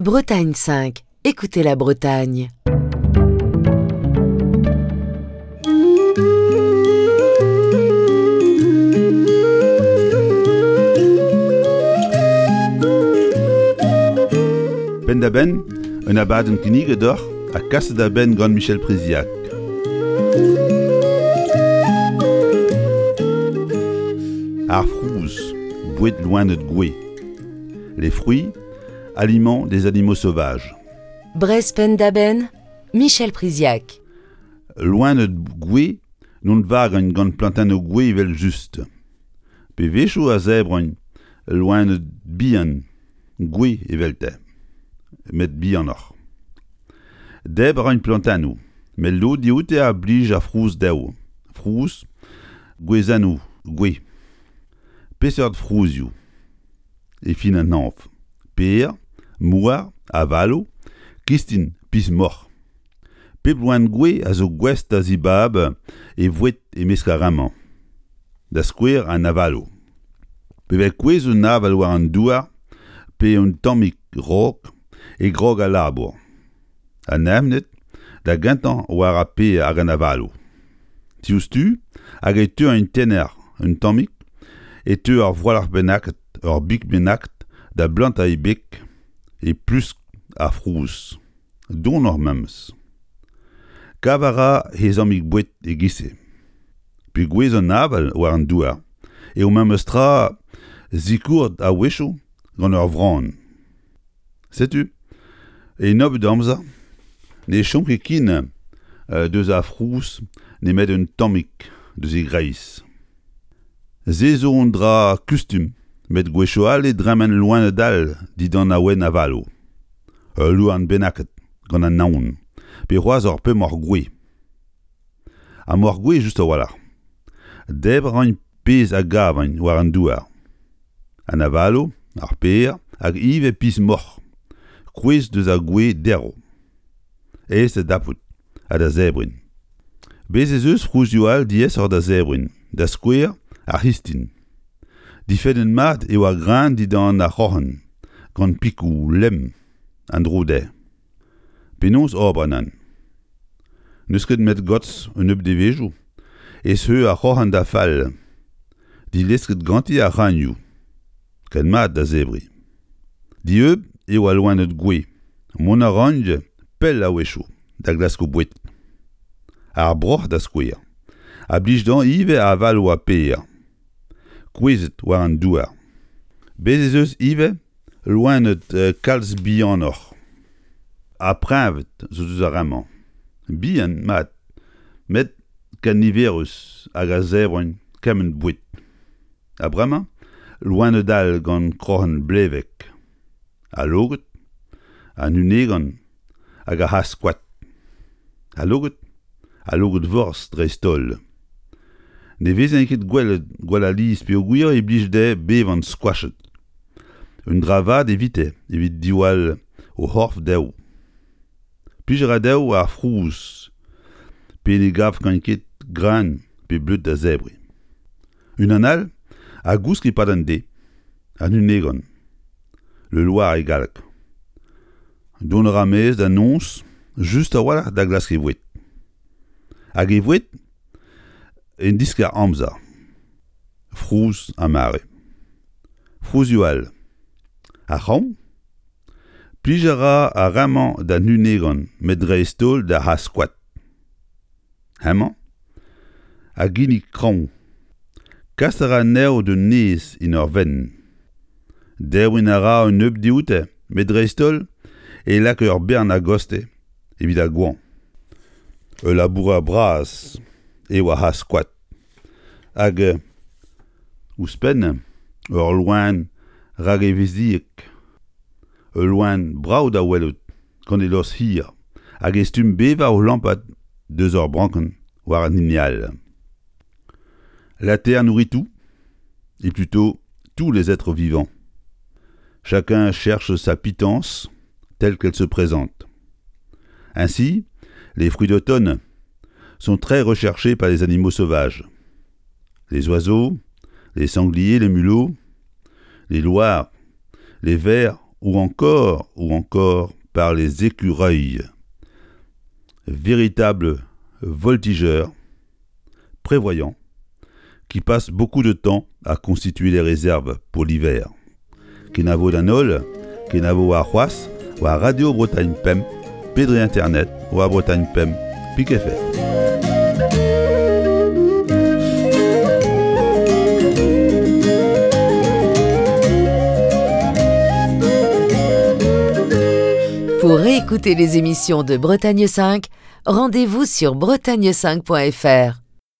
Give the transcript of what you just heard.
Bretagne 5, écoutez la Bretagne. Penn-da-benn, un abadenn kinniget deoc'h ha kaset da benn gant Michel Priziac. Ar frouz, boued loened gouez. Les fruits, aliments des animaux sauvages. Brest penn-da-benn, Michel Priziac. Loened gouez n'on vagagn gant plantennoù gouez evel-just. Pe wechoù a zebragn loened bihan gouez evelte, met bihanoc'h. Debr a raint plantennoù, met lod dioute a blij ar frouz dezho, frouz gwezennoù gouez. Peseurt frouzioù? E fin an hañv, per, mouar, avaloù, kistin, piz-moc'h. Pep loen gouez a zo gouest da zibab e voued e-mesk ar re-mañ. Da skouer an avaloù. Pe vez kouezh un aval war an douar pe un tammig rok e grog al labour. An evned da gentañ war ar per hag an avaloù. Diouzhtu hag e teu un tenner un tammig e teu ur voualc'h bennaket, ur big bennaket da blantañ e beg e plusk ar frouz. Donoc'h memes. Kav a ra he zammig boued e-giz-se. Pegouezh an aval war an douar eo memes tra sikouret a-wechoù gant ur vran. Setu, e nebeut amzer, ne chom ket ken deus ar frouz nemet un tammig deus e greiz. Se zo un dra kustum met gwechoù all e dremen loened all dindan awen avaloù. Ul louarn bennaket gant an naon pe c'hoazh ur pemoc'h gouez. Ha moc'h gouez just a-walc'h. Debr a raint pezh a gavaint war an douar. An avaloù, ar per hag ivez piz-moc'h, kouezh deus ar gwez derv. Aes da dapout ha da zebriñ. Bez' ez eus frouzioù all diaesoc'h da zebriñ, da skouer ar c'histin. Difennet mat eo ar greun dindan ar c'hroc'hen, gant pikoù lemm an dro dezhe. Penaos ober nann? N'eus ket 'met gortoz un nebeud devezhioù e zeu ar c'hroc'hen da fall, dilesket ganti ar c'hreunioù. Ken mat da zebriñ. Dieub eo al loened gouez. Mont a raint pell a-wechoù da glask o boued. Ar broc'h da skouer a blij dezhañ ivez avaloù ha per kouezhet war an douar. Bez' ez eus ivez loened kalz bihanoc'h ha preñved zo deus ar re-mañ. Bihan mat met ken niverus hag a zebrint kement boued. Ha bremañ loened all gant kroc'hen blevek, al logod, an hunegan hag ar c'hazh-koad. Al logod, al logod-vorzh dreist-holl. Ne vezent ket gwelet gwall alies peogwir e blij dezhe bevañ skoachet. Un dra vat evite evit diwall o c'horf dezho. Plij a ra dezho ar frouz pe ne gavkont ket greun pe bleud da zebriñ. Unan all a gousk e-pad an deiz, an hunegan, le loar e galleg. Dont a ra maez da noz just a-walc'h da glask e voued. Hag e voued en diskar-amzer, frouz ha mare. Frouzioù all. Ar c'hraoñ? Plij a ra ar re-mañ d'an hunegan met dreist-holl d'ar c'hazh-koad. Hemañ a ginnig kraoñ. Kas a ra anezho d'un nez en ur venn. Debriñ a ra un nebeud dioute met dreist-holl e lak ur bern a-gostez evit ar goañv. Ul labourer bras eo ar c'hazh-koad hag ouzhpenn ul loen ragevezhiek. Ul loen brav da welout gant e lost hir hag e stumm bevañ o lampat deus ur brankenn war an hini all. La terre nourrit tout, et plutôt tous les êtres vivants. Chacun cherche sa pitance telle qu'elle se présente. Ainsi, les fruits d'automne sont très recherchés par les animaux sauvages. Les oiseaux, les sangliers, les mulots, les loirs, les vers ou encore, ou encore par les écureuils. Véritables voltigeurs, prévoyants, qui passent beaucoup de temps à constituer les réserves pour l'hiver. Kenavo d'an holl, kenavo warc'hoazh war Radio Bretagne Pemp pe dre internet war Bretagne Pemp pik FR. Pour réécouter les émissions de Bretagne 5, rendez-vous sur bretagne5.fr.